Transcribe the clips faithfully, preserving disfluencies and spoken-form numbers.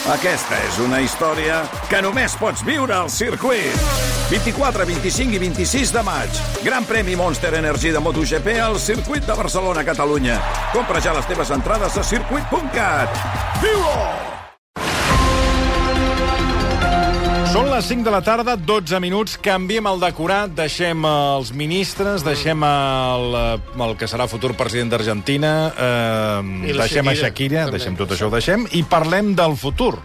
Aquesta és una història que només pots viure al circuit. vint-i-quatre, vint-i-cinc i vint-i-sis de maig. Gran premi Monster Energy de MotoGP al circuit de Barcelona, Catalunya. Compra ja les teves entrades a circuit punt cat. Viu-ho! Són les cinc de la tarda, dotze minuts, canviem el decorat, deixem els ministres, deixem el, el que serà futur president d'Argentina, eh, deixem a Shakira, deixem tot això, ho deixem, i parlem del futur.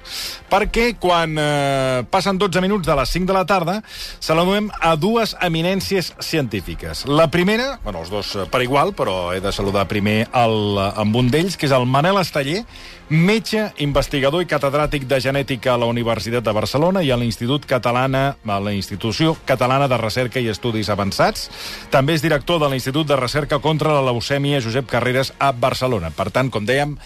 Perquè quan eh, passen dotze minuts de les cinc de la tarda, saludem a dues eminències científiques. La primera, bueno, els dos per igual, però he de saludar primer el, amb un d'ells, que és el Manel Esteller, metge, investigador i catedràtic de genètica a la Universitat de Barcelona i a l'Institut Catalana, a la Institució Catalana de Recerca i Estudis Avançats. També és director de l'Institut de Recerca contra la Leucèmia Josep Carreras a Barcelona. Per tant, com dèiem,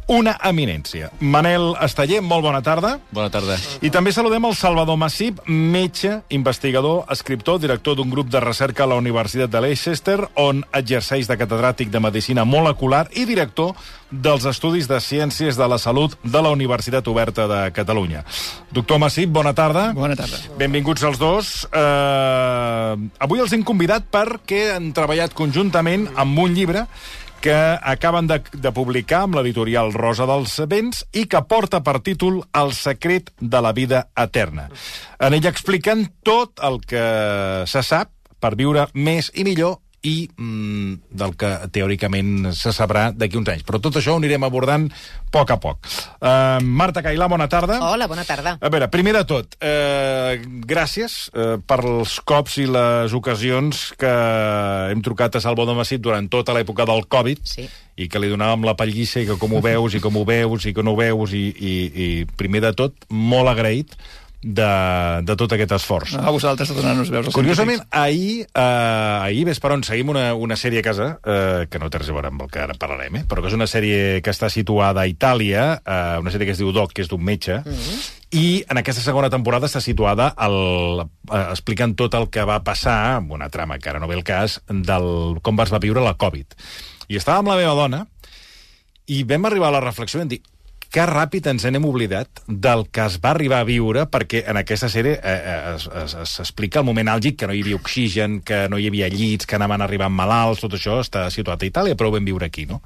una eminència. Manel Esteller, molt bona tarda. Bona tarda. I també saludem el Salvador Massip, metge, investigador, escriptor, director d'un grup de recerca a la Universitat de Leicester, on exerceix de catedràtic de Medicina Molecular i director dels Estudis de Ciències de la Salut de la Universitat Oberta de Catalunya. Doctor Massip, bona tarda. Bona tarda. Benvinguts els dos. Uh, avui els hem convidat perquè han treballat conjuntament amb un llibre que acaben de, de publicar amb l'editorial Rosa dels Vents i que porta per títol El secret de la vida eterna. En ell expliquen tot el que se sap per viure més i millor i mm, del que teòricament se sabrà d'aquí uns anys. Però tot això ho anirem abordant a poc a poc. Uh, Marta Cailà, bona tarda. Hola, bona tarda. A veure, primer de tot, uh, gràcies uh, per els cops i les ocasions que hem trucat a Salvador Massip durant tota l'època del Covid, sí, i que li donàvem la pallissa i que com ho veus i com ho veus i que no ho veus i, i, i primer de tot, molt agraït de, de tot aquest esforç. A vosaltres de donar-nos veus. Curiosament, ahir, eh, ahir ves per on seguim una, una sèrie a casa, eh, que no té res a veure amb el que ara parlarem, eh, però que és una sèrie que està situada a Itàlia, eh, una sèrie que es diu Doc, que és d'un metge, mm-hmm, i en aquesta segona temporada està situada el, eh, explicant tot el que va passar, amb una trama que ara no ve el cas, del com es va viure la Covid. I estava amb la meva dona i vam arribar a la reflexió i vam dir que ràpid ens n'hem oblidat del que es va arribar a viure, perquè en aquesta sèrie eh, es, es, es explica el moment àlgid, que no hi havia oxigen, que no hi havia llits, que anaven arribant malalts, tot això està situat a Itàlia, però ho vam viure aquí, no?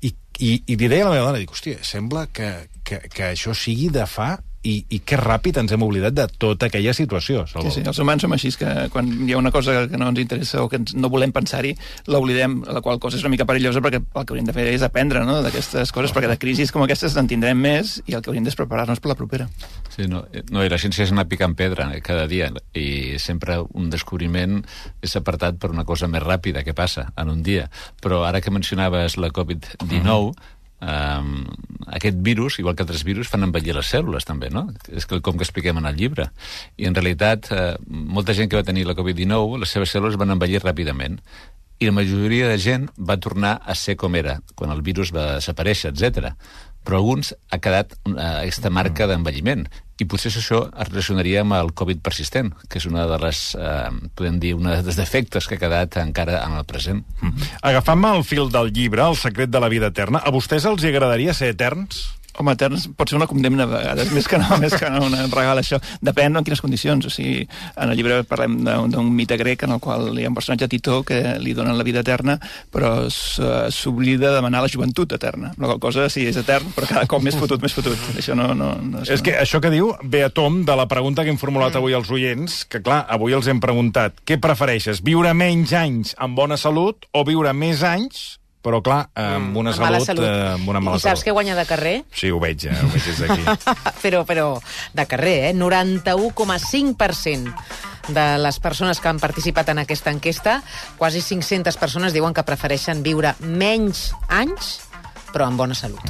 I, i, i li deia a la meva dona, dic, hòstia, sembla que, que, que això sigui de fa... I, i que ràpid ens hem oblidat de tota aquella situació. Sí, sí, els humans som així, que quan hi ha una cosa que no ens interessa o que ens, no volem pensar-hi, l'oblidem, la qual cosa és una mica perillosa perquè el que hauríem de fer és aprendre, no?, d'aquestes coses, perquè de crisis com aquestes en tindrem més i el que hauríem de és preparar-nos per la propera. Sí, no, no, i la ciència és anar picant pedra cada dia i sempre un descobriment és apartat per una cosa més ràpida que passa en un dia. Però ara que mencionaves la covid dinou, mm-hmm, Um, aquest virus, igual que altres virus, fan envellir les cèl·lules també, no? És com que expliquem en el llibre. I en realitat, uh, molta gent que va tenir la covid dinou, les seves cèl·lules van envellir ràpidament. I la majoria de gent va tornar a ser com era, quan el virus va desaparèixer, etcètera. Però alguns ha quedat uh, aquesta marca d'envelliment. I potser això es relacionaria amb el Covid persistent, que és una de les, eh, podem dir, una dels defectes que ha quedat encara en el present. Mm. Agafant-me el fil del llibre, El secret de la vida eterna, a vostès els agradaria ser eterns? Home, eterns pot ser una condemna a vegades, més que no, més que no un regal, això. Depèn en quines condicions. O sigui, en el llibre parlem d'un mite grec en el qual hi ha un personatge, Titó, que li donen la vida eterna, però s'oblida de demanar la joventut eterna. La qual cosa, sí, és etern, però cada cop més fotut, més fotut. Això no... no, no és, és que això que diu ve a tom de la pregunta que hem formulat avui als oients, que clar, avui els hem preguntat, què prefereixes, viure menys anys amb bona salut o viure més anys però clar, amb una amb salut, salut. Eh, amb una mala I saps salut. què guanya de carrer? Sí, ho veig, eh? Ho veig des d'aquí. però, però de carrer, eh? noranta-u coma cinc per cent de les persones que han participat en aquesta enquesta, quasi cinc-centes persones diuen que prefereixen viure menys anys però amb bona salut.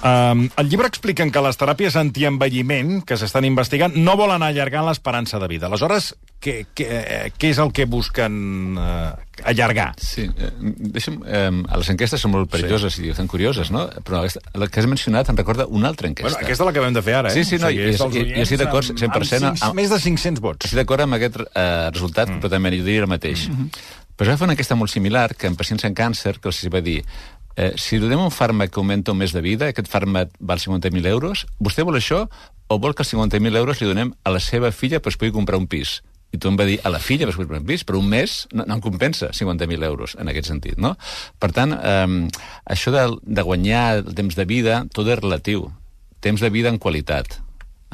Um, el llibre expliquen que les teràpies antienvelliment que s'estan investigant no volen allargar l'esperança de vida. Aleshores, què, què, què és el que busquen uh, allargar? Sí, eh, deixa'm, eh, les enquestes són molt perilloses, sí, i són curioses, no? Però la que has mencionat em recorda una altra enquesta. Bueno, aquesta és la que vam de fer ara, eh? Sí, sí, no, o sigui, jo, jo estic d'acord cent per cent. Amb, amb més de cinc-cents vots. Estic d'acord amb aquest eh, resultat, mm. però també jo diria el mateix. Mm-hmm. Però ja fa una enquesta molt similar, que en pacients amb càncer, que els va dir Eh, si li donem un fàrmac que augmenta un mes de vida, aquest fàrmac val cinquanta mil euros, vostè vol això o vol que els cinquanta mil euros li donem a la seva filla perquè es pugui comprar un pis? I tu em va dir a la filla perquè es pugui comprar un pis, però un mes no, no em compensa cinquanta mil euros en aquest sentit, no? Per tant, eh, això de, de guanyar el temps de vida, tot és relatiu. Temps de vida en qualitat.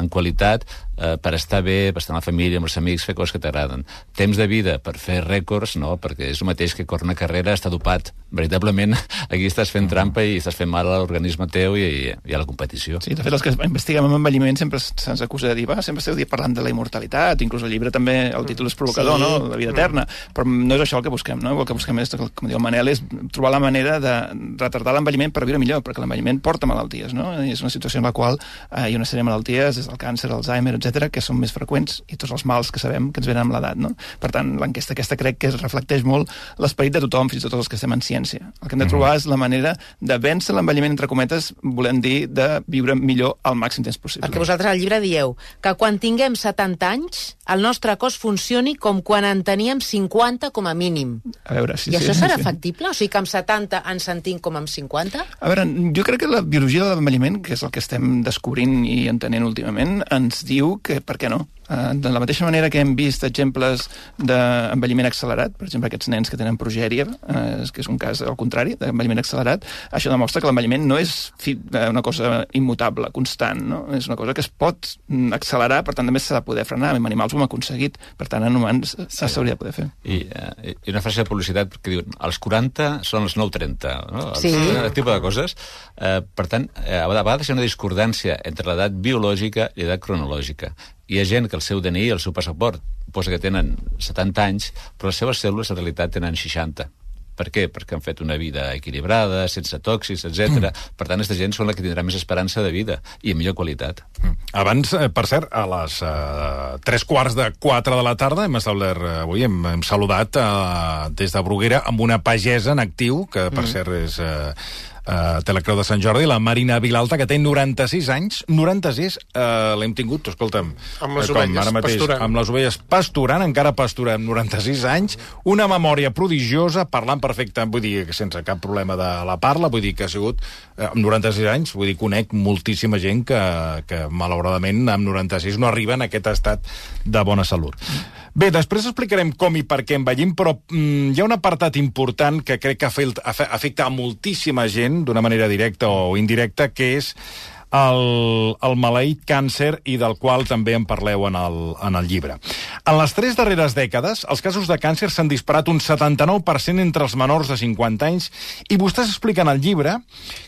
En qualitat eh, per estar bé, per estar amb la família, amb els amics, fer coses que t'agraden. Temps de vida per fer rècords, no, perquè és el mateix que córrer una carrera, està dopat. Veritablement, aquí estàs fent trampa i estàs fent mal a l'organisme teu i, i a la competició. Sí, de fet, els que investiguem amb envelliment sempre se'ns acusa de dir, va, sempre esteu parlant de la immortalitat, inclús el llibre també, el títol és provocador, sí. No?, la vida eterna, però no és això el que busquem, no? El que busquem és, com diu el Manel, és trobar la manera de retardar l'envelliment per viure millor, perquè l'envelliment porta malalties, no? I és una situació en la qual eh, hi ha una sèrie de malalties, des del càncer, Alzheimer, etcètera, que són més freqüents i tots els mals que sabem que ens venen amb l'edat, no? Per tant, l'enquesta aquesta crec que es reflecteix molt l'esperit de tothom, fins i tot els que estem en ciència. El que hem de trobar és la manera de vèncer l'envelliment, entre cometes, volem dir, de viure millor al màxim temps possible. Perquè vosaltres al llibre dieu que quan tinguem setanta anys, el nostre cos funcioni com quan en teníem cinquanta com a mínim. A veure, sí, I sí, això serà sí. factible? O sigui que amb setanta ens sentim com amb cinquanta? A veure, jo crec que la biologia de l'envelliment, que és el que estem descobrint i entenent últimament, ens diu que per què no? De la mateixa manera que hem vist exemples d'envelliment accelerat, per exemple, aquests nens que tenen progèria, eh, que és un cas al contrari, d'envelliment accelerat, això demostra que l'envelliment no és una cosa immutable, constant, no? És una cosa que es pot accelerar, per tant, també s'ha de poder frenar. En animals ho hem aconseguit, per tant, en humans s'hauria de poder fer. I, uh, i una frase de publicitat que diu als quaranta són els nou trenta, no? Sí. Aquest tipus de coses. Uh, per tant, uh, a vegades hi ha una discordància entre l'edat biològica i l'edat cronològica. Hi ha gent que el seu D N I, el seu passaport, posa que tenen setanta anys, però les seves cèl·lules en realitat tenen seixanta. Per què? Perquè han fet una vida equilibrada, sense tòxics, etcètera. Mm. Per tant, aquesta gent són la que tindrà més esperança de vida i amb millor qualitat. Mm. Abans, per cert, a les uh, tres quarts de quatre de la tarda hem establert avui, hem, hem saludat uh, des de Bruguera amb una pagesa en actiu, que per mm. cert és... Uh, Uh, té la Creu de Sant Jordi, la Marina Vilalta, que té noranta-sis anys. noranta-sis uh, l'hem tingut, escolta'm, amb les com ovelles ara mateix, pasturant. Amb les ovelles pasturant, encara pastura amb noranta-sis anys, una memòria prodigiosa, parlant perfecte, vull dir, sense cap problema de la parla, vull dir que ha sigut, uh, amb noranta-sis anys, vull dir, conec moltíssima gent que, que malauradament amb noranta-sis no arriba en aquest estat de bona salut. Bé, després explicarem com i per què envellim, però mm, hi ha un apartat important que crec que afecta a moltíssima gent, d'una manera directa o indirecta, que és el, el maleït càncer, i del qual també en parleu en el, en el llibre. En les tres darreres dècades, els casos de càncer s'han disparat un setanta-nou per cent entre els menors de cinquanta anys, i vostès expliquen al llibre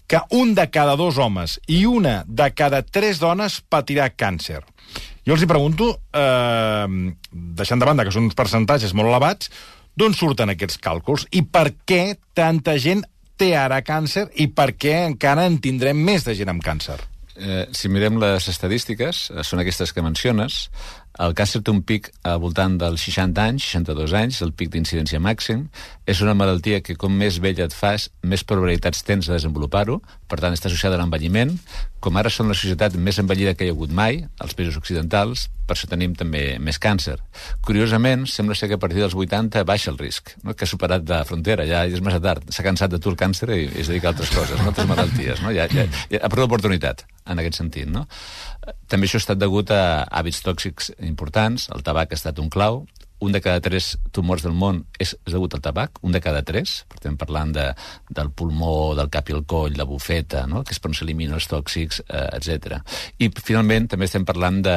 que un de cada dos homes i una de cada tres dones patirà càncer. Jo els hi pregunto, eh, deixant de banda que són uns percentatges molt elevats, d'on surten aquests càlculs i per què tanta gent té ara càncer i per què encara en tindrem més de gent amb càncer? Eh, si mirem les estadístiques, eh, són aquestes que menciones. El càncer té un pic al voltant dels seixanta anys, seixanta-dos anys, el pic d'incidència màxim. És una malaltia que com més vella et fas, més probabilitats tens de desenvolupar-ho. Per tant, està associada a l'envelliment. Com ara són la societat més envellida que hi ha hagut mai, als països occidentals, per això tenim també més càncer. Curiosament, sembla ser que a partir dels vuitanta baixa el risc, no? Que ha superat la frontera, ja és massa tard. S'ha cansat de tu el càncer i es dedica a altres coses, no? Altres malalties. No? Ja, ja, ja ha perdut l'oportunitat en aquest sentit. No? També això ha estat degut a hàbits tòxics importants. El tabac ha estat un clau. Un de cada tres tumors del món és, és degut al tabac, un de cada tres. Estem parlant de, del pulmó, del cap i el coll, la bufeta, no? Que és per on s'eliminen els tòxics, eh, etcètera. I finalment també estem parlant de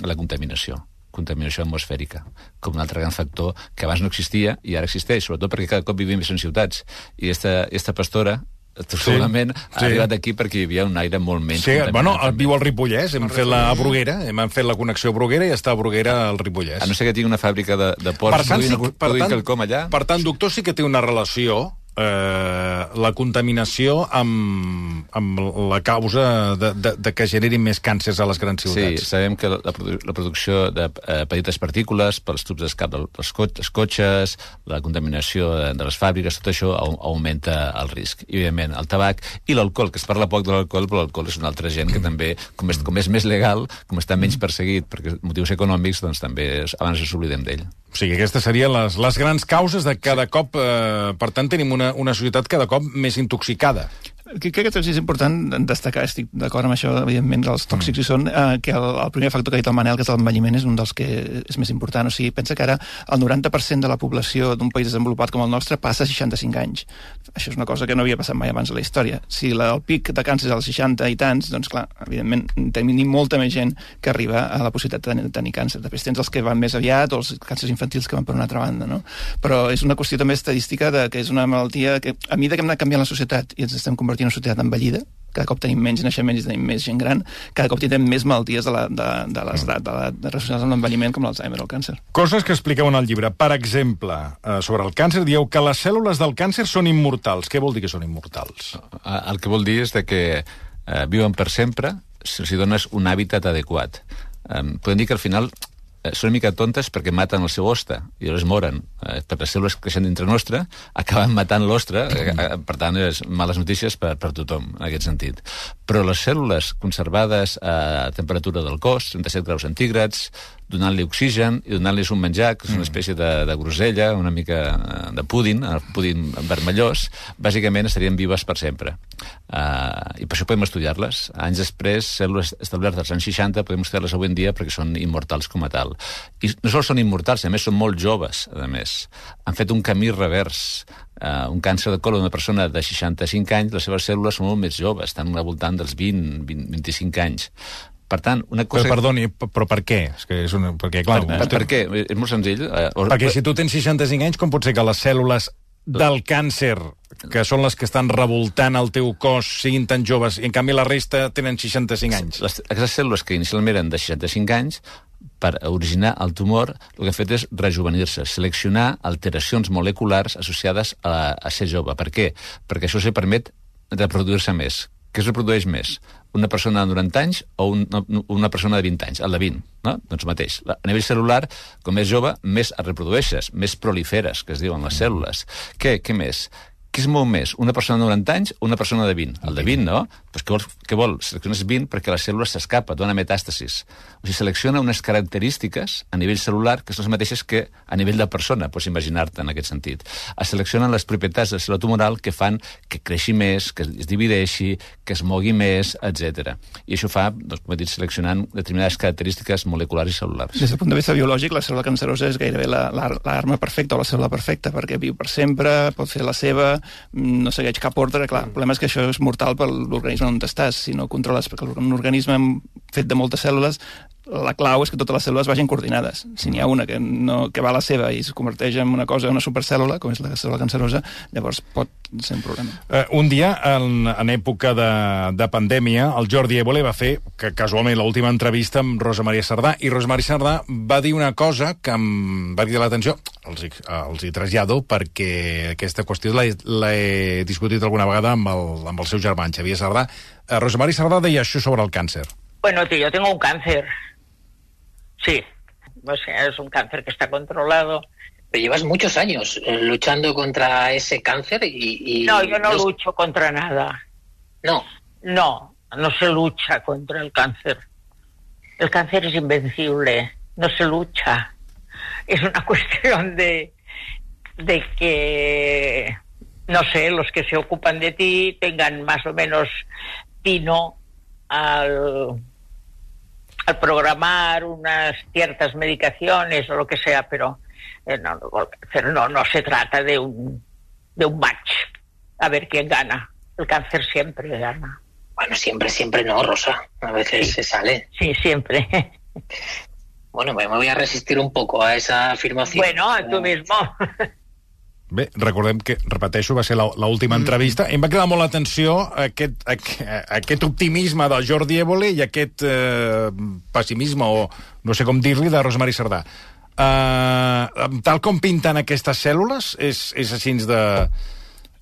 la contaminació contaminació atmosfèrica, com un altre gran factor que abans no existia i ara existeix, sobretot perquè cada cop vivim més en ciutats. I esta, esta pastora segurament sí, ha sí. arribat aquí perquè hi havia un aire molt menys sí, bueno, viu al Ripollès, hem fet la Bruguera, hem fet la connexió Bruguera i està a Bruguera al Ripollès. A no ser que tingui una fàbrica de, de porcs, per tant, sí, per tant, quelcom allà. Per tant, doctor, sí que té una relació eh, la contaminació amb, amb la causa de, de, de que generin més càncers a les grans ciutats. Sí, sabem que la, la producció de eh, petites partícules pels tubs d'escap dels cotxes, cotxes, la contaminació de, de les fàbriques, tot això augmenta el risc. I, evidentment, el tabac i l'alcohol, que es parla poc de l'alcohol, però l'alcohol és una altra gent que també, com és, com és més legal, com està menys perseguit per motius econòmics, doncs també abans ens oblidem d'ell. O sigui, aquestes serien les, les grans causes de cada sí. cop... Eh, per tant, tenim una, una societat cada cop més intoxicada. Crec que és important destacar, estic d'acord amb això, evidentment, que els tòxics mm. hi són, eh, que el, el primer factor que ha dit el Manel, que és l'envelliment, és un dels que és més important. O sigui, pensa que ara el noranta per cent de la població d'un país desenvolupat com el nostre passa a seixanta-cinc anys. Això és una cosa que no havia passat mai abans a la història. Si la, el pic de càncer és als seixanta i tants, doncs clar, evidentment, tenim molta més gent que arriba a la possibilitat de tenir, de tenir càncer. Després tens els que van més aviat o els càncers infantils que van per una altra banda, no? Però és una qüestió també estadística de que és una malaltia que, a mesura que hem anat canviant la societat i ens estem convertint en una societat envellida, cada cop tenim menys naixements i tenim més gent gran, cada cop tindrem més malalties de, la, de, de l'estat, de la, de relacionades amb l'envelliment, com l'Alzheimer o el càncer. Coses que expliqueu en el llibre. Per exemple, eh, sobre el càncer, dieu que les cèl·lules del càncer són immortals. Què vol dir que són immortals? El que vol dir és de que eh, viuen per sempre si els dones un hàbitat adequat. Eh, podem dir que al final són una mica tontes perquè maten el seu hoste i llavors moren. Eh, per les cèl·lules que creixen dintre nostre acaben matant l'ostre, eh, per tant, és males notícies per, per tothom, en aquest sentit. Però les cèl·lules conservades a temperatura del cos, trenta-set graus centígrads, donant-li oxigen i donant-li un menjar, que és una espècie de, de grosella, una mica de púding, el púding vermellós, bàsicament estarien vives per sempre. Uh, I per això podem estudiar-les. Anys després, cèl·lules establertes als anys seixanta, podem estudiar-les avui en dia perquè són immortals com a tal. I no sols són immortals, a més són molt joves, a més. Han fet un camí revers. Uh, un càncer de colon d'una persona de seixanta-cinc anys, les seves cèl·lules són molt més joves, estan al voltant dels vint, vint, vint-i-cinc anys. Per tant, una cosa... Però, perdoni, però per què? És que és una... Perquè, clar, per, per, per què? És molt senzill. Perquè si tu tens seixanta-cinc anys, com pot ser que les cèl·lules del càncer, que són les que estan revoltant el teu cos, siguin tan joves, i en canvi la resta tenen seixanta-cinc anys? Les, aquestes cèl·lules que inicialment eren de seixanta-cinc anys, per originar el tumor, el que ha fet és rejuvenir-se, seleccionar alteracions moleculars associades a, a ser jove. Per què? Perquè això se permet reproduir-se més. Què es reprodueix més? Una persona de noranta anys o una, una persona de vint anys? El de vint, no? Doncs mateix. A nivell celular, com més jove, més es reprodueixes, més proliferes, que es diuen les cèl·lules. Què, què més? Què es mou més? Una persona de noranta anys o una persona de vint? El de vint, no? Doncs què vol? Què vol? Selecciones vint perquè la cèl·lula s'escapa, dona metàstasis. O sigui, selecciona unes característiques a nivell celular que són les mateixes que a nivell de persona, pots imaginar-te en aquest sentit. Es seleccionen les propietats de la cèl·lula tumoral que fan que creixi més, que es divideixi, que es mogui més, etcètera. I això fa, doncs, com he dit, seleccionant determinades característiques moleculars i cel·lulars. Des del punt de vista biològic, la cèl·lula cancerosa és gairebé l'arma perfecta o la cèl·lula perfecta, perquè viu per sempre, pot fer la seva, no segueix cap ordre. Clar, el problema és que això és mortal per l'organisme on estàs. Si no controles, perquè un organisme fet de moltes cèl·lules, la clau és que totes les cèl·lules vagin coordinades. Si n'hi ha una que, no, que va a la seva i es converteix en una cosa, una supercèl·lula, com és la cèl·lula cancerosa, llavors pot ser un problema. Uh, un dia, en, en època de, de pandèmia, el Jordi Évole va fer, que casualment, l'última entrevista amb Rosa Maria Sardà, i Rosa Maria Sardà va dir una cosa que em va dir l'atenció, els, els hi trasllado, perquè aquesta qüestió l'he discutit alguna vegada amb el, amb el seu germà, Xavier Sardà. Uh, Rosa Maria Sardà deia això sobre el càncer. Bueno, tío, yo tengo un cáncer. Sí, o sea, es un cáncer que está controlado. Pero llevas muchos años luchando contra ese cáncer y... y no, yo no los... lucho contra nada. No. No, no se lucha contra el cáncer. El cáncer es invencible, no se lucha. Es una cuestión de, de que, no sé, los que se ocupan de ti tengan más o menos tino al... al programar unas ciertas medicaciones o lo que sea, pero, eh, no, pero no, no se trata de un, de un match, a ver quién gana. El cáncer siempre gana. Bueno, siempre, siempre no, Rosa. A veces sí. se sale. Sí, siempre. Bueno, me voy a resistir un poco a esa afirmación. Bueno, tú mismo. Bé, recordem que, repeteixo, va ser l'última entrevista. Em va cridar molt l'atenció aquest, aquest optimisme del Jordi Évole i aquest eh, pessimisme, o no sé com dir-li, de Rosa Maria Sardà. Eh, tal com pinten aquestes cèl·lules, és, és així de...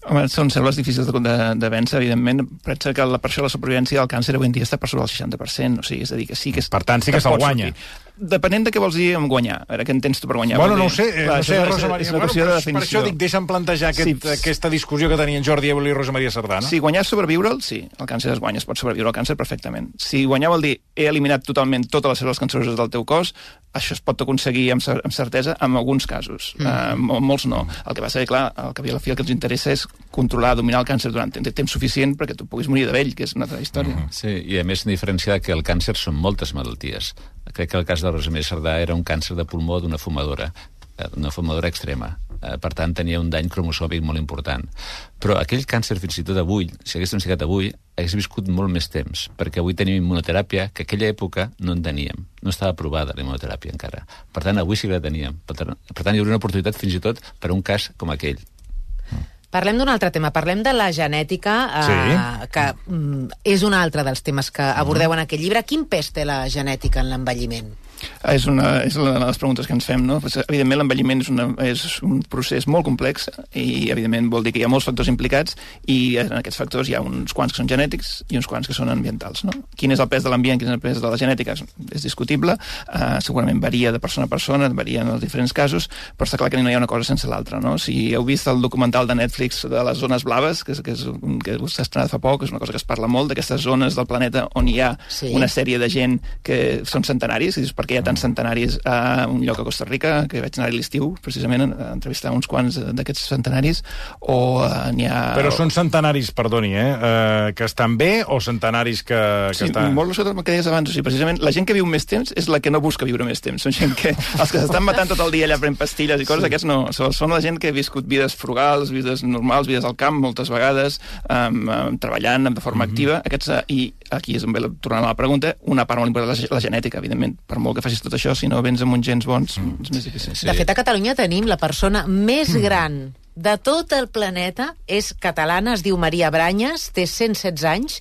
Home, són cèl·lules difícils de, de, de vèncer, evidentment. Pensa que la, per això la supervivència del càncer avui en dia està per sobre del seixanta per cent. O sigui, és a dir, que sí que... Per tant, sí que se'l guanya. Sortir. depenent de què vols dir amb guanyar. A veure, què entens tu per guanyar? Bueno, no ho sé, Clar, no sé, és, Rosa Maria. és una Bueno, qüestió de per, definició. per això dic, deixa'm plantejar aquest, Sí. aquesta discussió que tenien Jordi Évole i Rosa Maria Sardà, no? Si guanyar és sobrevivre'l, sí. El càncer es guanya, es pot sobreviure el càncer perfectament. Si guanyar vol dir he eliminat totalment totes les cèl·lules canceroses del teu cos, això es pot aconseguir amb, cer amb certesa en alguns casos. Mm. Uh, molts no. El que passa és que, clar, el que a la fi el que ens interessa és controlar, dominar el càncer durant temps suficient perquè tu puguis morir de vell, que és una altra història. Mm. Sí, i a més diferenciar que el càncer són moltes malalties. Crec que el cas de Rosa Maria Sardà era un càncer de pulmó d'una fumadora, una fumadora extrema. Per tant, tenia un dany cromosòmic molt important. Però aquell càncer, fins i tot avui, si hagués diagnosticat avui, hagués viscut molt més temps, perquè avui tenim immunoteràpia que aquella època no en teníem. No estava aprovada la immunoteràpia encara. Per tant, avui sí que la teníem. Per tant, per tant hi hauria una oportunitat fins i tot per a un cas com aquell. Parlem d'un altre tema, parlem de la genètica, eh, Sí. que mm, és un altre dels temes que abordeu en aquest llibre. Quin pes té la genètica en l'envelliment? És una, és una de les preguntes que ens fem, no? Pues, evidentment, l'envelliment és, una, és un procés molt complex i, evidentment, vol dir que hi ha molts factors implicats i en aquests factors hi ha uns quants que són genètics i uns quants que són ambientals, no? Quin és el pes de l'ambient, quin és el pes de la genètica? És, és discutible, uh, segurament varia de persona a persona, varia en els diferents casos, però està clar que no hi ha una cosa sense l'altra, no? Si heu vist el documental de Netflix de les zones blaves, que, és, que, és, que s'ha estrenat fa poc, és una cosa que es parla molt, d'aquestes zones del planeta on hi ha sí. una sèrie de gent que són centenaris, i dius, per què hi ha tants centenaris a un lloc a Costa Rica, que vaig anar a l'estiu, precisament, a entrevistar uns quants d'aquests centenaris, o uh, n'hi ha... Però són centenaris, perdoni, eh, uh, que estan bé o centenaris que, que sí, estan... molt el que deies abans, o sigui, precisament la gent que viu més temps és la que no busca viure més temps. Són gent que, els que s'estan matant tot el dia allà prenent pastilles i coses, sí. Aquests no. Són la gent que ha viscut vides frugals, vides normals, vides al camp, moltes vegades, um, um, treballant de forma mm-hmm. activa. Aquests, uh, I aquí és on ve, tornant a la pregunta, una part molt important de la, la genètica, evidentment. Per molt que facis tot això, si no vens amb uns gens bons, mm. és més difícil. Sí. De fet, a Catalunya tenim la persona més gran de tot el planeta, és catalana, es diu Maria Branyes, té cent setze anys,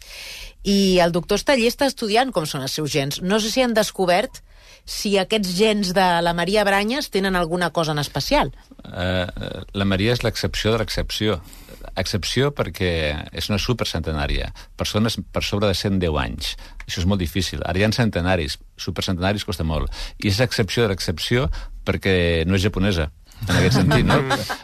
i el doctor Esteller està estudiant com són els seus gens. No sé si han descobert si aquests gens de la Maria Branyes tenen alguna cosa en especial. Uh, la Maria és l'excepció de l'excepció. Excepció perquè és una supercentenària. Persones per sobre de cent deu anys. Això és molt difícil. Ara hi ha centenaris. Supercentenaris costa molt. I és excepció de l'excepció perquè no és japonesa, en aquest sentit, no?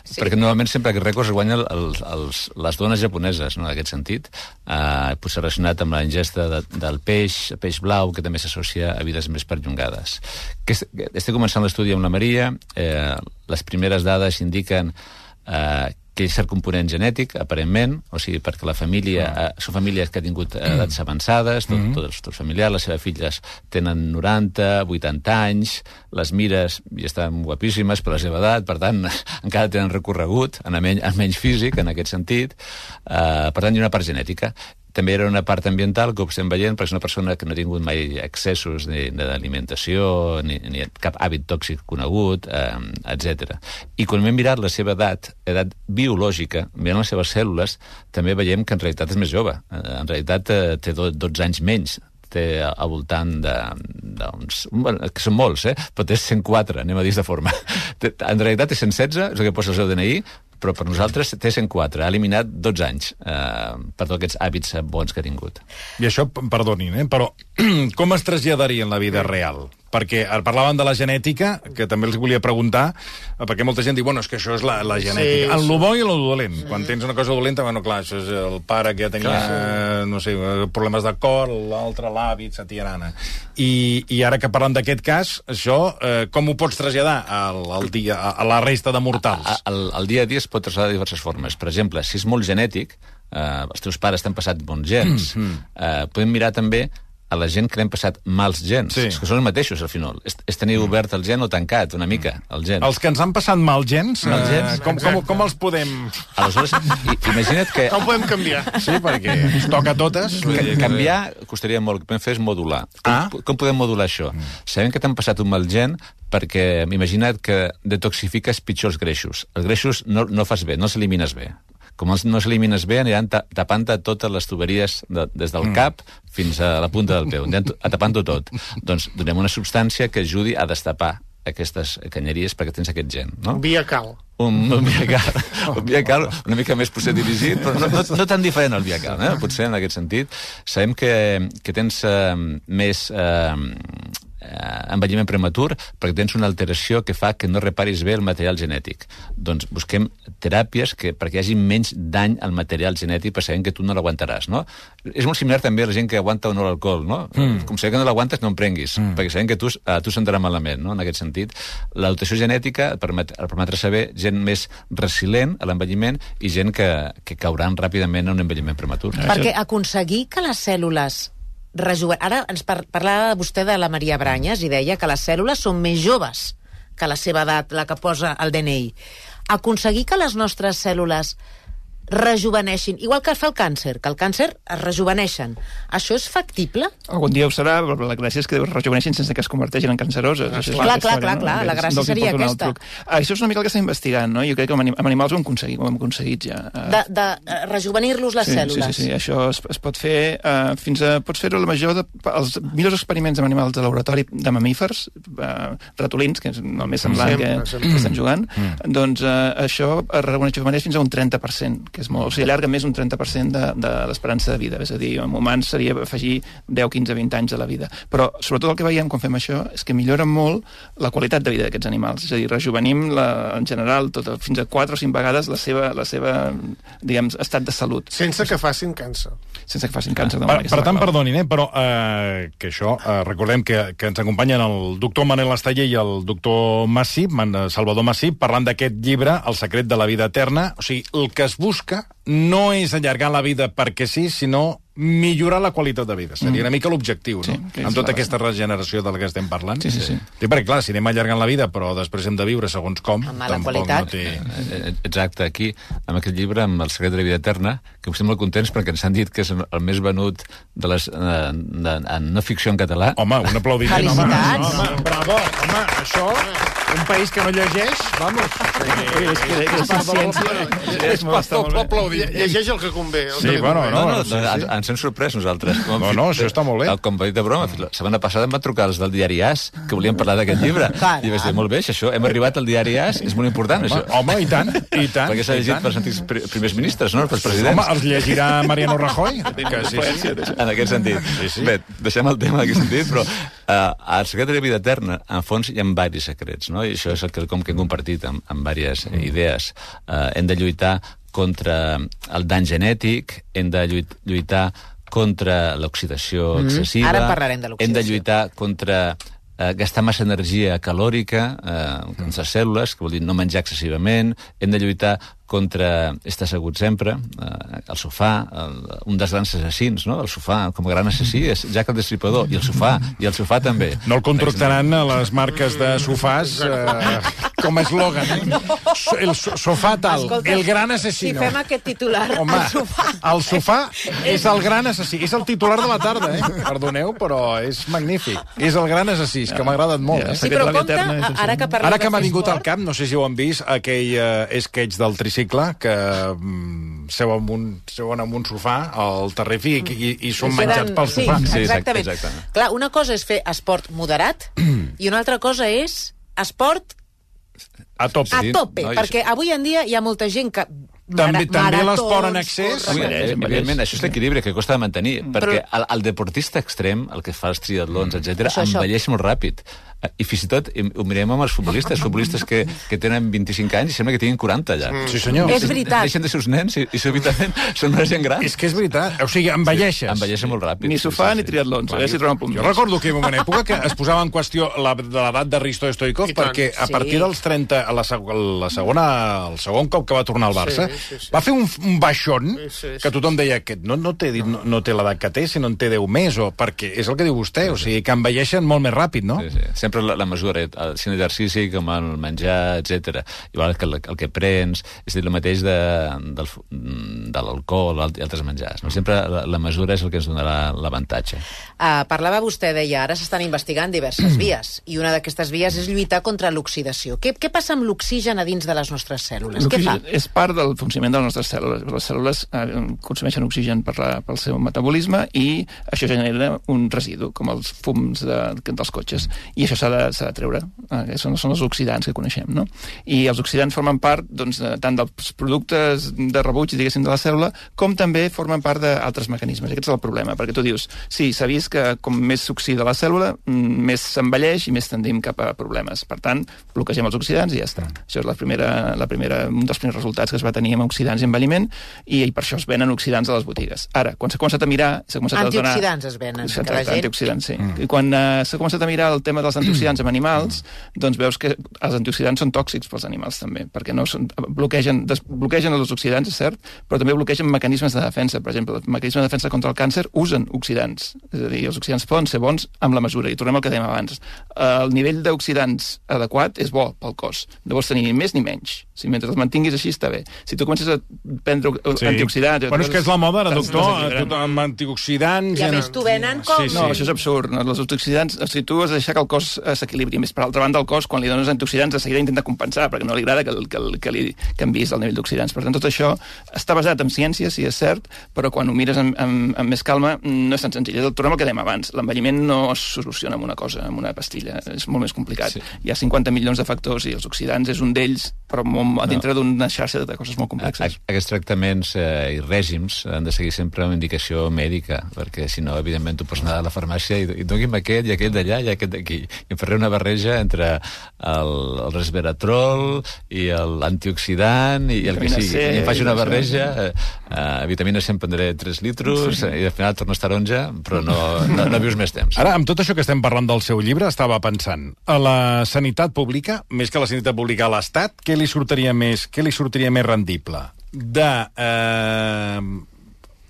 Sí. Perquè normalment sempre aquests rècords es guanyen els, els, les dones japoneses, no?, en aquest sentit. Uh, potser relacionat amb la ingesta de, del peix, peix blau, que també s'associa a vides més perllongades. Que est, estic començant l'estudi amb la Maria. Eh, les primeres dades indiquen eh, que és cert component genètic, aparentment, o sigui, perquè la família, eh, són famílies que han tingut edats avançades, tot, tots, tots familiars, les seves filles tenen noranta, vuitanta anys, les mires ja estan guapíssimes per la seva edat, per tant, encara tenen recorregut, en menys, en menys físic, en aquest sentit, eh, per tant, hi ha una part genètica. També era una part ambiental que ho estem veient, perquè és una persona que no ha tingut mai excessos ni d'alimentació, ni, ni cap hàbit tòxic conegut, eh, etcètera. I quan hem mirat la seva edat, edat biològica, mirant les seves cèl·lules, també veiem que en realitat és més jove. En realitat eh, té dotze anys menys, té al voltant de, d'uns... Bueno, que són molts, eh? Però té cent quatre, anem a dir de forma. En realitat té cent setze, és el que posa el seu D N I, però per nosaltres té cent quatre, ha eliminat dotze anys eh, per tots aquests hàbits bons que ha tingut. I això, perdonin, eh, però com es traslladaria en la vida real? Perquè parlaven de la genètica, que també els volia preguntar, perquè molta gent diu, bueno, és que això és la, la genètica. Sí, en lo bo i en lo dolent. Sí. Quan tens una cosa dolenta, bueno, clar, això és el pare que ja tenia, eh, no sé, problemes de cor, l'altre l'hàbit, satirana. I, I ara que parlem d'aquest cas, això, eh, com ho pots traslladar al, al dia, a, a la resta de mortals? Al, al dia a dia es pot traslladar de diverses formes. Per exemple, si és molt genètic, eh, els teus pares t'han passat bons gens, mm, mm. Eh, podem mirar també a la gent que l'hem passat mals gens, sí. que són els mateixos al final. És, és tenir obert el gen o tancat una mica, el gen. Els que ens han passat mal gens, mal gens eh, com, com, com els podem... Aleshores, imagina't que... Com podem canviar? Sí, perquè ens toca a totes. Ca canviar costaria molt, el que podem fer és modular. Com, ah? com podem modular això? Mm. Sabem que t'han passat un mal gen perquè imagina't que detoxifiques pitjors greixos. Els greixos no, no fas bé, no els elimines bé. Com els no s'elimines bé, aniran tapant totes les tuberies de, des del cap fins a la punta del peu, aniran tapant-ho tot. Doncs donem una substància que ajudi a destapar aquestes canyeries perquè tens aquest gen, no? Un Viacal. Un, un Viacal, un Viacal una mica més potser dirigit, però no, no, no tan diferent al Viacal, eh? Potser en aquest sentit. Sabem que, que tens eh, més... Eh, envelliment prematur perquè tens una alteració que fa que no reparis bé el material genètic. Doncs busquem teràpies que, perquè hi hagi menys dany al material genètic, per saber que tu no l'aguantaràs, no? És molt similar també a la gent que aguanta o no l'alcohol, no? Mm. Com saber que no l'aguantes, no en prenguis, mm. perquè sabem que tu, a tu sentarà malament, no? En aquest sentit, la dotació genètica et permet, et permetrà saber gent més resilient a l'envelliment i gent que, que cauran ràpidament en un envelliment prematur. Perquè aconseguir que les cèl·lules rejuven... Ara ens par parlava vostè de la Maria Branyes i deia que les cèl·lules són més joves que la seva edat, la que posa el D N I. Aconseguir que les nostres cèl·lules rejuveneixin, igual que fa el càncer, que el càncer es rejuveneixen. Això és factible? Algun dia ho serà, però la gràcia és que rejuveneixin sense que es converteixin en canceroses. Ah, clar, clar, clar, clar, clar, la gràcia seria aquesta. Ah, això és una mica el que està investigant, no? Jo crec que amb animals ho hem aconseguit, ho hem aconseguit ja. De, de rejuvenir-los les sí, cèl·lules. Sí, sí, sí, això es, es pot fer uh, fins a... Pots fer-ho la major de... Els millors experiments amb animals de laboratori de mamífers, uh, ratolins, que és el més semblant que, que estan jugant, mm. doncs uh, això es rejuveneix fins a un trenta per cent, que és molt... O sigui, allarga més un trenta per cent de, de l'esperança de vida. És a dir, en humans seria afegir deu, quinze, vint anys de la vida. Però, sobretot, el que veiem quan fem això és que millora molt la qualitat de vida d'aquests animals. És a dir, rejuvenim, la, en general, tot, fins a quatre o cinc vegades la seva, la seva diguem, estat de salut. Sense que facin càncer. Sense que facin càncer. Per, per tant, perdonin, eh, però eh, que això, eh, recordem que, que ens acompanyen el doctor Manel Esteller i el doctor Massip, Salvador Massip, parlant d'aquest llibre, El secret de la vida eterna. O sigui, el que es busca no és allargar la vida perquè sí, sinó millorar la qualitat de vida. Seria una mica l'objectiu, no? Sí, amb tota aquesta regeneració de la que estem parlant. Sí, sí, sí. Sí, perquè, clar, si anem allargant la vida, però després hem de viure segons com, amb mala tampoc qualitat. No té... Exacte, aquí, amb aquest llibre, amb El secret de la vida eterna, que estem molt contents perquè ens han dit que és el més venut de les, de, de, en no ficció en català. Home, un aplaudiment. Felicitats. Home, home, bravo. Home, això, un país que no llegeix, vamos. Sí, és que és ciència. És molt aplaudir. Llegeix el que convé. Sí, bueno, no, no, no, ens hem sorprès nosaltres. No, no, això està molt bé. Com va dir de broma, la setmana passada em van trucar els del diari As, que volien parlar d'aquest llibre. I vaig dir, molt bé, això, hem arribat al diari As, és molt important, això. Home, i tant, i tant. Perquè s'ha llegit pels antics primers ministres, no? Pels presidents. Home, els llegirà Mariano Rajoy? Que sí, sí. En aquest sentit. Bé, deixem el tema en aquest sentit, però al secret de la vida eterna, en fons, hi ha diversos secrets, no? I això és el que hem compartit amb, amb diverses idees. Uh, hem de lluitar contra el dany genètic, hem de lluitar contra l'oxidació excessiva. Ara parlarem de l'oxidació. Hem de lluitar contra eh, gastar massa energia calòrica eh, en les cèl·lules, que vol dir no menjar excessivament. Hem de lluitar contra estar assegut sempre, eh, el sofà, el, un dels grans assassins, no? El sofà, com a gran assassí, és Jack el Destripador, i el sofà, i el sofà també. No el contractaran a les marques de sofàs eh, com a eslògan. No. El sofà tal, escolta, el gran assassino. Si fem aquest titular, home, el sofà... El sofà és el gran assassí, és el titular de la tarda, eh? Perdoneu, però és magnífic. És el gran assassí, que m'ha agradat molt. Eh? Sí, però compte, ara que parlem Ara que m'ha vingut al cap, no sé si ho han vist, aquell eh, sketch del tricicle que mm, seu, amb un, seuen amb un sofà al Terrific i, i són menjats pel sofà. Sí, exactament. Sí, exactament. Clar, una cosa és fer esport moderat i una altra cosa és esport a tope. A tope, sí, no, perquè avui en dia hi ha molta gent que També, també l'esport en excés. Sí, evidentment, això és l'equilibri que costa de mantenir, perquè el, el deportista extrem, el que fa els triatlons, etcètera, envelleix molt ràpid. I fins i tot ho mirem amb els futbolistes, futbolistes que, que tenen vint-i-cinc anys i sembla que tinguin quaranta ja. Sí, senyor. És veritat. Deixen de ser uns nens i, i súbitament són una gent gran. És que és veritat. O sigui, envelleixes. Sí, envelleixen molt ràpid. Ni sofà sí, sí, ni triatlons. Sí. Si un punt jo recordo que hi va una època que es posava en qüestió la, de l'edat de Risto Stoikov perquè a partir sí. dels trenta, a la, la segona, el segon cop que va tornar al Barça, sí, sí, sí. va fer un, un baixón sí, sí, sí. que tothom deia que no, no té, no, no té l'edat que té, sinó en té deu més, o perquè és el que diu vostè, o sigui, que envelleixen molt més ràpid, no? Sí, sí. Sempre la, la mesura el sin exercici, com el menjar, etcètera. Igual que el, el que prens, és dir, el mateix de, del, de l'alcohol i altres menjars. No? Sempre la, la mesura és el que ens donarà l'avantatge. Uh, parlava vostè, deia, ara s'estan investigant diverses vies, i una d'aquestes vies és lluitar contra l'oxidació. Què, què passa amb l'oxigen a dins de les nostres cèl·lules? Què fa? És part del funcionament de les nostres cèl·lules. Les cèl·lules eh, consumeixen oxigen per la, pel seu metabolisme i això genera un residu, com els fums de, dels cotxes. I això s'ha de, s'ha de treure. Eh, són, són els oxidants que coneixem, no? I els oxidants formen part doncs, de, tant dels productes de rebuig, diguéssim, de la cèl·lula, com també formen part d'altres mecanismes. I aquest és el problema, perquè tu dius, sí, s'ha vist que com més s'oxida la cèl·lula, més s'envelleix i més tendim cap a problemes. Per tant, bloquegem els oxidants i ja està. Això és la primera, la primera, un dels primers resultats que es va tenir amb oxidants i envelliment, i, i per això es venen oxidants a les botigues. Ara, quan s'ha començat a mirar... Començat antioxidants a donar... es venen. Exacte, que la gent... antioxidants, sí. Mm. I quan uh, s'ha començat a mirar el tema dels antioxidants en animals, mm. doncs veus que els antioxidants són tòxics pels animals també, perquè no són, bloquegen, des, bloquegen els oxidants, és cert, però també bloquegen mecanismes de defensa. Per exemple, els mecanismes de defensa contra el càncer usen oxidants. És a dir, els oxidants poden ser bons amb la mesura. I tornem al que dèiem abans. El nivell d'oxidants adequat és bo pel cos. No vols tenir ni més ni menys. Si mentre els mantinguis així està bé. Si tu comences a prendre sí. antioxidants... Bueno, és que és la moda, ara, doctor, tot amb antioxidants... I a més t'ho venen com... Sí, sí. No, això és absurd. No? Els antioxidants, si tu has de deixar que el cos s'equilibri. Més per altra banda, el cos, quan li dones antioxidants, de seguida intenta compensar, perquè no li agrada que, que, que li canviïs el nivell d'oxidants. Per tant, tot això està basat en ciència, sí, és cert, però quan ho mires amb, amb, amb més calma, no és tan senzill. El problema que dèiem abans, l'envelliment no es soluciona amb una cosa, amb una pastilla. És molt més complicat. Sí. Hi ha cinquanta milions de factors i els oxidants és un d'ells, però molt, a dintre no. d'una xarxa de coses molt complexes. A, aquests tractaments eh, i règims han de seguir sempre una indicació mèdica, perquè si no, evidentment, tu pots anar a la farmàcia i, i doni'm aquest i aquest d'allà i aquest d'aquí. I em faré una barreja entre el, el resveratrol i l'antioxidant i el que sigui. C, I em faig una barreja, eh, eh, vitamina C em prendré tres litros sí. i al final tornes taronja, però no, no, no vius més temps. Ara, amb tot això que estem parlant del seu llibre, estava pensant, a la sanitat pública, més que la sanitat pública a l'Estat, què li sortiria més, què li sortiria més rendible? De eh,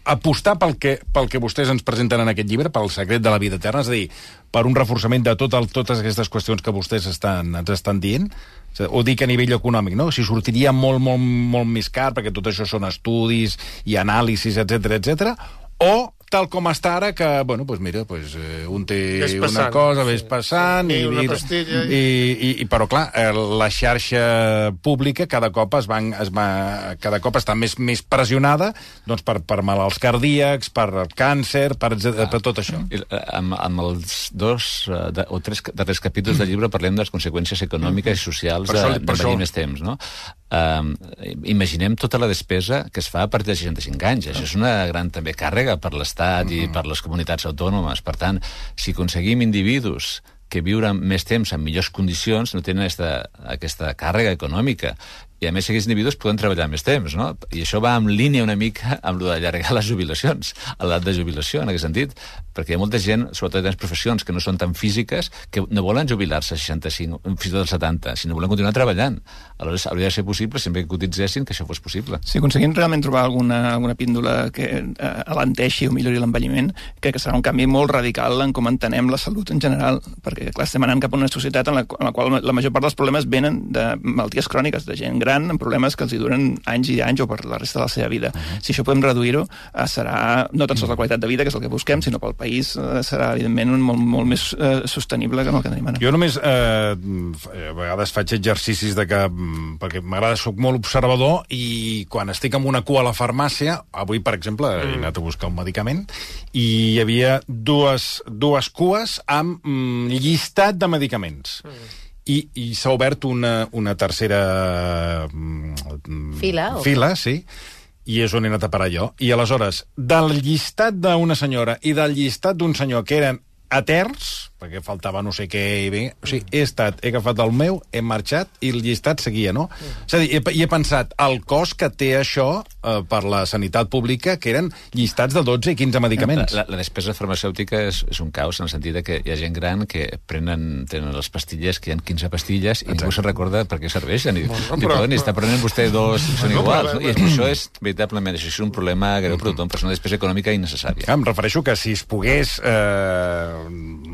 apostar pel que, pel que vostès ens presenten en aquest llibre, pel secret de la vida eterna, és a dir, per un reforçament de tot el, totes aquestes qüestions que vostès estan, ens estan dient, o dic a nivell econòmic, no? Si sortiria molt, molt, molt més car, perquè tot això són estudis i anàlisis, etcètera, etcètera, o tal com està ara, que, bueno, doncs mira, doncs, eh, un té passant, una cosa, ves sí, passant... sí, i, una i, pastilla... I, i, i, però, clar, eh, la xarxa pública cada cop es va, es va, cada cop està més, més pressionada doncs, per, per malalts cardíacs, per càncer, per, ah, per tot això. I, amb, amb els dos uh, de, o tres darrers capítols del llibre parlem de les conseqüències econòmiques i socials de, de venir més temps, no? Um, imaginem tota la despesa que es fa a partir de seixanta-cinc anys. Això és una gran també càrrega per l'Estat i per les comunitats autònomes. Per tant, si aconseguim individus que viuran més temps en millors condicions, no tenen aquesta, aquesta càrrega econòmica. I a més aquests individus poden treballar més temps, no? I això va en línia una mica amb el d'allargar les jubilacions, a l'edat de jubilació, en aquest sentit, perquè hi ha molta gent, sobretot en les professions que no són tan físiques, que no volen jubilar-se a seixanta-cinc, fins i tot als setanta, sinó volen continuar treballant. Aleshores, hauria de ser possible, sempre que cotitzessin, que això fos possible. Si aconseguim realment trobar alguna, alguna píndola que eh, alenteixi o millori l'envelliment, crec que serà un canvi molt radical en com entenem la salut en general, perquè, clar, estem anant cap a una societat en la, en la qual la major part dels problemes venen de malalties cròniques, de gent gran, amb problemes que els hi duren anys i anys o per la resta de la seva vida. Uh-huh. Si això podem reduir-ho, eh, serà no tan sols la qualitat de vida, que és el que busquem, sinó pel país eh, serà, evidentment, un molt, molt més eh, sostenible que no el que tenim ara. Jo només, eh, a vegades faig exercicis de que, perquè m'agrada, soc molt observador, i quan estic amb una cua a la farmàcia, avui, per exemple, mm. he anat a buscar un medicament, i hi havia dues, dues cues amb mm, llistat de medicaments. Mm. I, i s'ha obert una, una tercera fila, fila, sí, i és on he anat a parar jo. I aleshores, del llistat d'una senyora i del llistat d'un senyor que eren eterns, perquè faltava no sé què, i bé, o sigui, he estat, he agafat el meu, he marxat, i el llistat seguia, no? Mm. És a dir, he, he pensat, el cost que té això eh, per la sanitat pública, que eren llistats de dotze i quinze medicaments. La, la despesa farmacèutica és, és un caos, en el sentit que hi ha gent gran que prenen, tenen les pastilles, que hi ha quinze pastilles, i ningú se'n recorda per què serveixen. I, bueno, però, i està prenent vostè dos, són no, iguals, no? I això és, veritablement, això és un problema greu per tothom, però és una despesa econòmica innecessària. Em refereixo que si es pogués... Eh,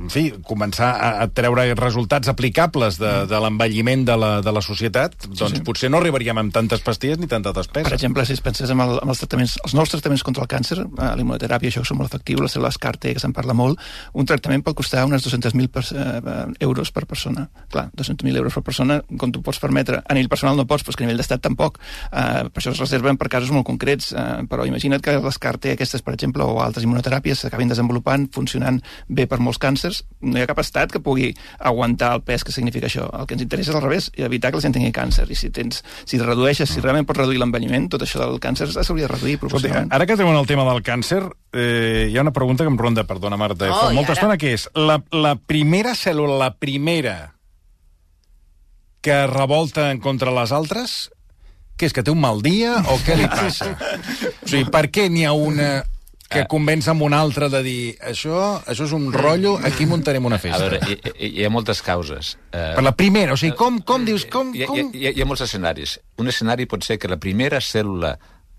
en fi, començar a treure resultats aplicables de, de l'envelliment de, la, de la societat, doncs sí, sí. potser no arribaríem amb tantes pastilles ni tanta despesa. Per exemple, si es pensés en, el, en els tractaments, els nous tractaments contra el càncer, eh, la immunoteràpia, això que són molt efectius, les cèl·lules CAR T, que se'n parla molt, un tractament pot costar unes dos-cents mil per, eh, euros per persona. Clar, dos-cents mil euros per persona, com tu pots permetre. A nivell personal no pots, però és que a nivell d'estat tampoc. Eh, per això es reserven per casos molt concrets, eh, però imagina't que les CAR T aquestes, per exemple, o altres immunoteràpies s'acabin desenvolupant, funcionant bé per molts càncers. No hi ha cap estat que pugui aguantar el pes que significa això. El que ens interessa és al revés, evitar que la gent tingui càncer. I si tens, si redueixes, si realment pots reduir l'envelliment, tot això del càncer s'hauria de reduir proporcionalment. Ara que tenim el tema del càncer, eh, hi ha una pregunta que em ronda, perdona, Marta, oh, fa molta estona, que és la, la primera cèl·lula, la primera que revolta en contra les altres, què és, que té un mal dia o què li passa? O sigui, per què n'hi ha una que convenç amb una altra de dir això, això és un rotllo, aquí muntarem una festa? A veure, hi, hi, hi ha moltes causes. Per la primera, o sigui, com, com dius... Com, hi, com... Hi, hi, hi ha molts escenaris. Un escenari pot ser que la primera cèl·lula,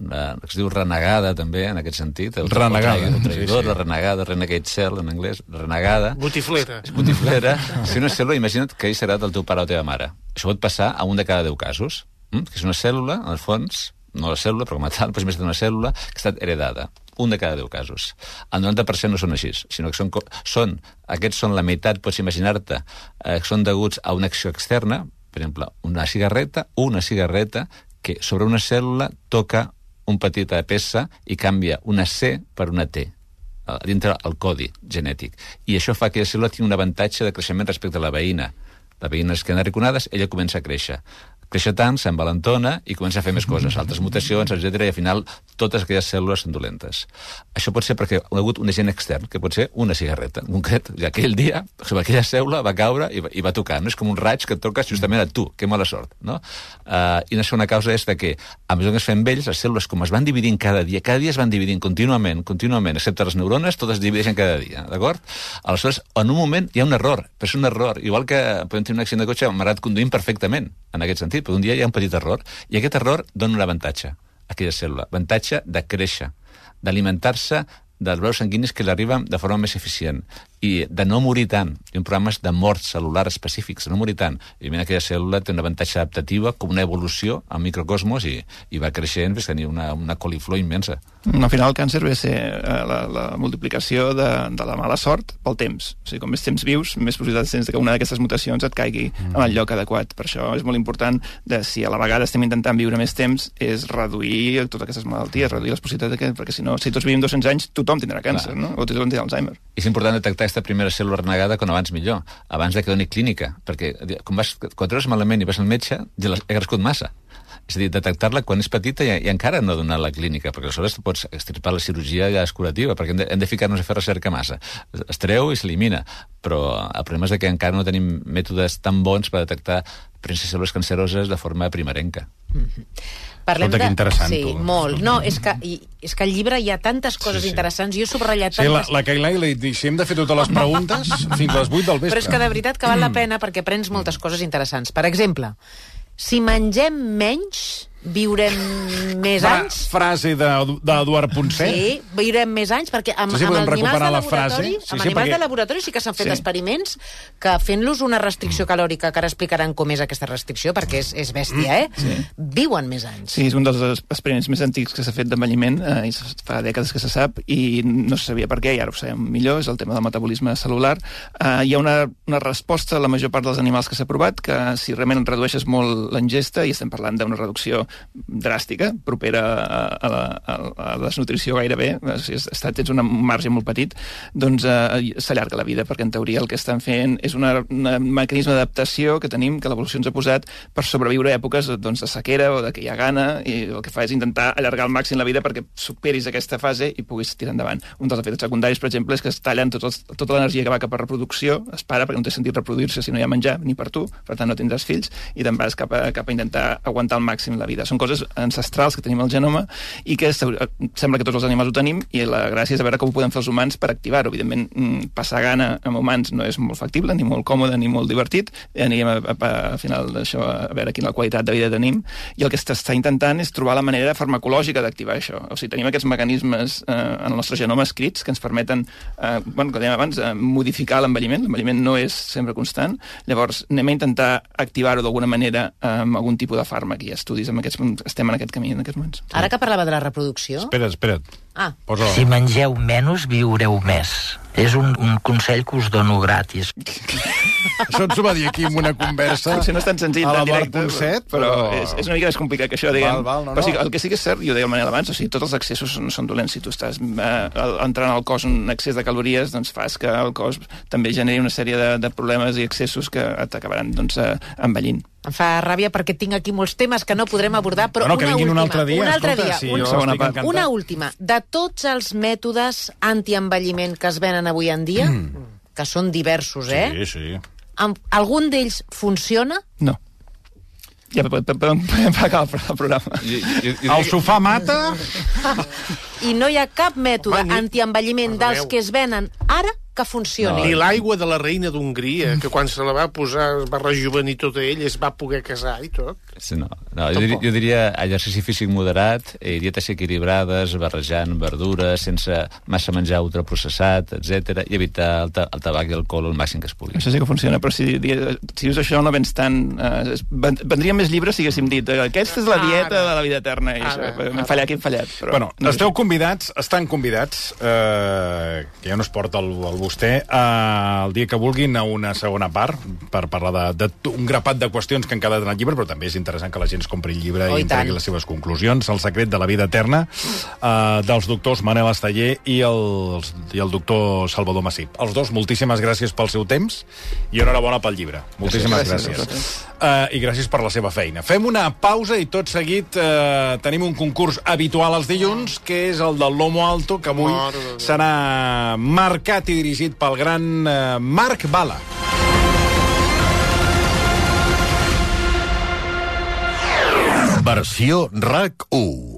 la, que es diu renegada, també, en aquest sentit. El renegada. El traïdor, sí, sí. La renegada, renegade cell, en anglès, renegada. Botiflera. Botiflera. Si una cèl·lula, imagina't que ell serà del teu pare o teva mare. Això pot passar a un de cada deu casos. Mm? Que és una cèl·lula, en el fons, no la cèl·lula, però com a tal, però és una cèl·lula que ha estat heredada. Un de cada deu casos. El noranta per cent no són així, sinó que són, són aquests són la meitat, pots imaginar-te, eh, que són deguts a una acció externa, per exemple, una cigarreta, una cigarreta que sobre una cèl·lula toca un petita peça i canvia una C per una T, dintre el codi genètic. I això fa que la cèl·lula tingui un avantatge de creixement respecte a la veïna. La veïna es queden arraconades, ella comença a créixer. Créixer tant, s'envalentona i comença a fer més coses, altres mutacions, etcètera, i al final totes aquelles cèl·lules són dolentes. Això pot ser perquè ha hagut un agent extern, que pot ser una cigarreta. En concret, aquell dia, sobre aquella cèl·lula va caure i va, i va tocar. No és com un raig que et toques justament a tu. Que mala sort, no? Uh, I una segona causa és de que, a mesura que es fem vells, les cèl·lules, com es van dividint cada dia, cada dia es van dividint contínuament, contínuament, excepte les neurones, totes es divideixen cada dia, d'acord? Aleshores, en un moment hi ha un error, però és un error. Igual que podem tenir un accident de cotxe, m'agrada conduint perfectament, en aquest sentit, però un dia hi ha un petit error, i aquest error dona un avantatge a aquella cèl·lula, avantatge de créixer, d'alimentar-se dels vasos sanguinis que l'arriben de forma més eficient i de no morir tant. Hi ha programes de mort cel·lular específics, de no morir tant. I a aquella cèl·lula té una avantatge adaptativa com una evolució al microcosmos i, i va creixent fins a tenir una, una coliflor immensa. Al final el càncer ve a ser eh, la, la multiplicació de, de la mala sort pel temps. O sigui, com més temps vius, més possibilitats tens que una d'aquestes mutacions et caigui mm. en el lloc adequat. Per això és molt important, de, si a la vegada estem intentant viure més temps, és reduir totes aquestes malalties, reduir les possibilitats de que, perquè si no, si tots vivim dos-cents anys, tothom tindrà càncer, Clar. no? O tothom tindrà Alzheimer. I és important detectar aquesta primera cèl·lula renegada com abans millor, abans de que doni clínica, perquè quan, vas, quan treus malament i vas al metge, ja ha crescut massa. És a dir, detectar-la quan és petita i, i encara no donar la clínica, perquè aleshores pots extirpar la cirurgia ja és curativa, perquè hem de, hem de ficar-nos a fer recerca massa. Es treu i s'elimina, però el problema és que encara no tenim mètodes tan bons per detectar cèl·lules canceroses de forma primerenca. Mm-hmm. Parlem Escolta, de... que interessant, sí, tu. molt. No, és que, i, és que al llibre hi ha tantes coses sí, sí. interessants. Jo he subratllat sí, tantes... la, la Cailà li dic, si hem de fer totes les preguntes fins a les vuit del vespre. Però és que de veritat que val la pena perquè aprens moltes coses interessants. Per exemple, si mengem menys, viurem més Fra, anys... Frase d'Eduard Ponset. Sí, viurem més anys, perquè amb, sí, sí, amb els animals de la laboratori, sí, amb sí, animals perquè... de laboratori sí que s'han fet sí. experiments que fent-los una restricció calòrica, que ara explicaran com és aquesta restricció, perquè és, és bèstia, eh? Sí. Viuen més anys. Sí, és un dels experiments més antics que s'ha fet d'envelliment, eh, i fa dècades que se sap, i no se sabia per què, i ara ho sabem millor, és el tema del metabolisme celular. Eh, hi ha una, una resposta a la major part dels animals que s'ha provat, que si realment redueixes molt l'ingesta, i estem parlant d'una reducció dràstica, propera a, a, la, a la desnutrició gairebé, si està, tens un marge molt petit, doncs eh, s'allarga la vida, perquè en teoria el que estan fent és una, una mecanisme d'adaptació que tenim, que l'evolució ens ha posat per sobreviure a èpoques doncs, de sequera o de que hi ha gana, i el que fa és intentar allargar al màxim la vida perquè superis aquesta fase i puguis tirar endavant. Un dels efectes secundaris, per exemple, és que es tallen tots els, tota l'energia que va cap a reproducció, es para perquè no té sentit reproduir-se si no hi ha menjar ni per tu, per tant no tindràs fills, i te'n vas cap a, cap a intentar aguantar al màxim la vida. etcètera. Són coses ancestrals que tenim al genoma i que sembla que tots els animals ho tenim, i la gràcia és a veure com ho podem fer els humans per activar-ho. Evidentment, passar gana amb humans no és molt factible, ni molt còmode, ni molt divertit. Anirem a, a, a final d'això a veure quina qualitat de vida tenim, i el que s'està intentant és trobar la manera farmacològica d'activar això. O sigui, tenim aquests mecanismes eh, en el nostre genoma escrits que ens permeten, eh, bueno, com dèiem abans, eh, modificar l'envelliment. L'envelliment no és sempre constant. Llavors, anem a intentar activar-ho d'alguna manera amb algun tipus de fàrmac, i estudis amb aquests, estem en aquest camí en aquests moments. Ara que parlava de la reproducció... Espera't, espera't. Ah. Posa... Si mengeu menys, viureu més. És un, un consell que us dono gratis. Això ens ho va dir aquí en una conversa. Potser no és tan senzill a la en directe, bar punt set, però, però... però és, és una mica més complicat que això, diguem. Val, val, no, però sí, no. el que sí que és cert, i ho deia el Manel abans, o sigui, tots els excessos no són dolents. Si tu estàs eh, entrant al cos un excés de calories, doncs fas que el cos també generi una sèrie de, de problemes i excessos que t'acabaran doncs, eh, envellint. Em fa ràbia perquè tinc aquí molts temes que no podrem abordar, però bueno, una última. Un altre dia, un altre escolta, dia. Sí, Un, una, una última. De tots els mètodes antienvelliment que es venen avui en dia, mm. que són diversos, eh? Sí, sí. Amb, algun d'ells funciona? No. Ja podem pagar el programa. I, i, i, el sofà mata? I no hi ha cap mètode Home, ni... antienvelliment dels que es venen ara que funcioni. No. Ni l'aigua de la reina d'Hongria, que quan se la va posar es va rejuvenir tota ell, es va poder casar i tot. Sí, no, no jo, diria, jo diria exercici físic moderat, eh, dietes equilibrades, barrejant verdures, sense massa menjar ultraprocessat, etcètera, i evitar el, ta el tabac i l'alcohol el màxim que es pugui. Això sí que funciona, però si, si dius això no vens tant... Eh, vendríem més llibres si haguéssim dit eh, aquesta és la dieta ara, de la vida eterna, i ara, això, hem fallat, aquí hem fallat. Però bueno, no esteu convidats, estan convidats, eh, que ja no es porta el, el vostè, eh, el dia que vulguin a una segona part per parlar de, de un grapat de qüestions que han quedat en el llibre, però també és interessant que la gent es compri el llibre oh, i entregui les seves conclusions. El secret de la vida eterna, eh, dels doctors Manel Esteller i el, i el doctor Salvador Massip. Els dos, moltíssimes gràcies pel seu temps i enhorabona pel llibre. Moltíssimes gràcies. gràcies. gràcies. Uh, I gràcies per la seva feina. Fem una pausa i tot seguit uh, tenim un concurs habitual els dilluns, que és el del Lomo Alto, que avui serà marcat i dirigit pel gran uh, Marc Bala. Versió R A C u.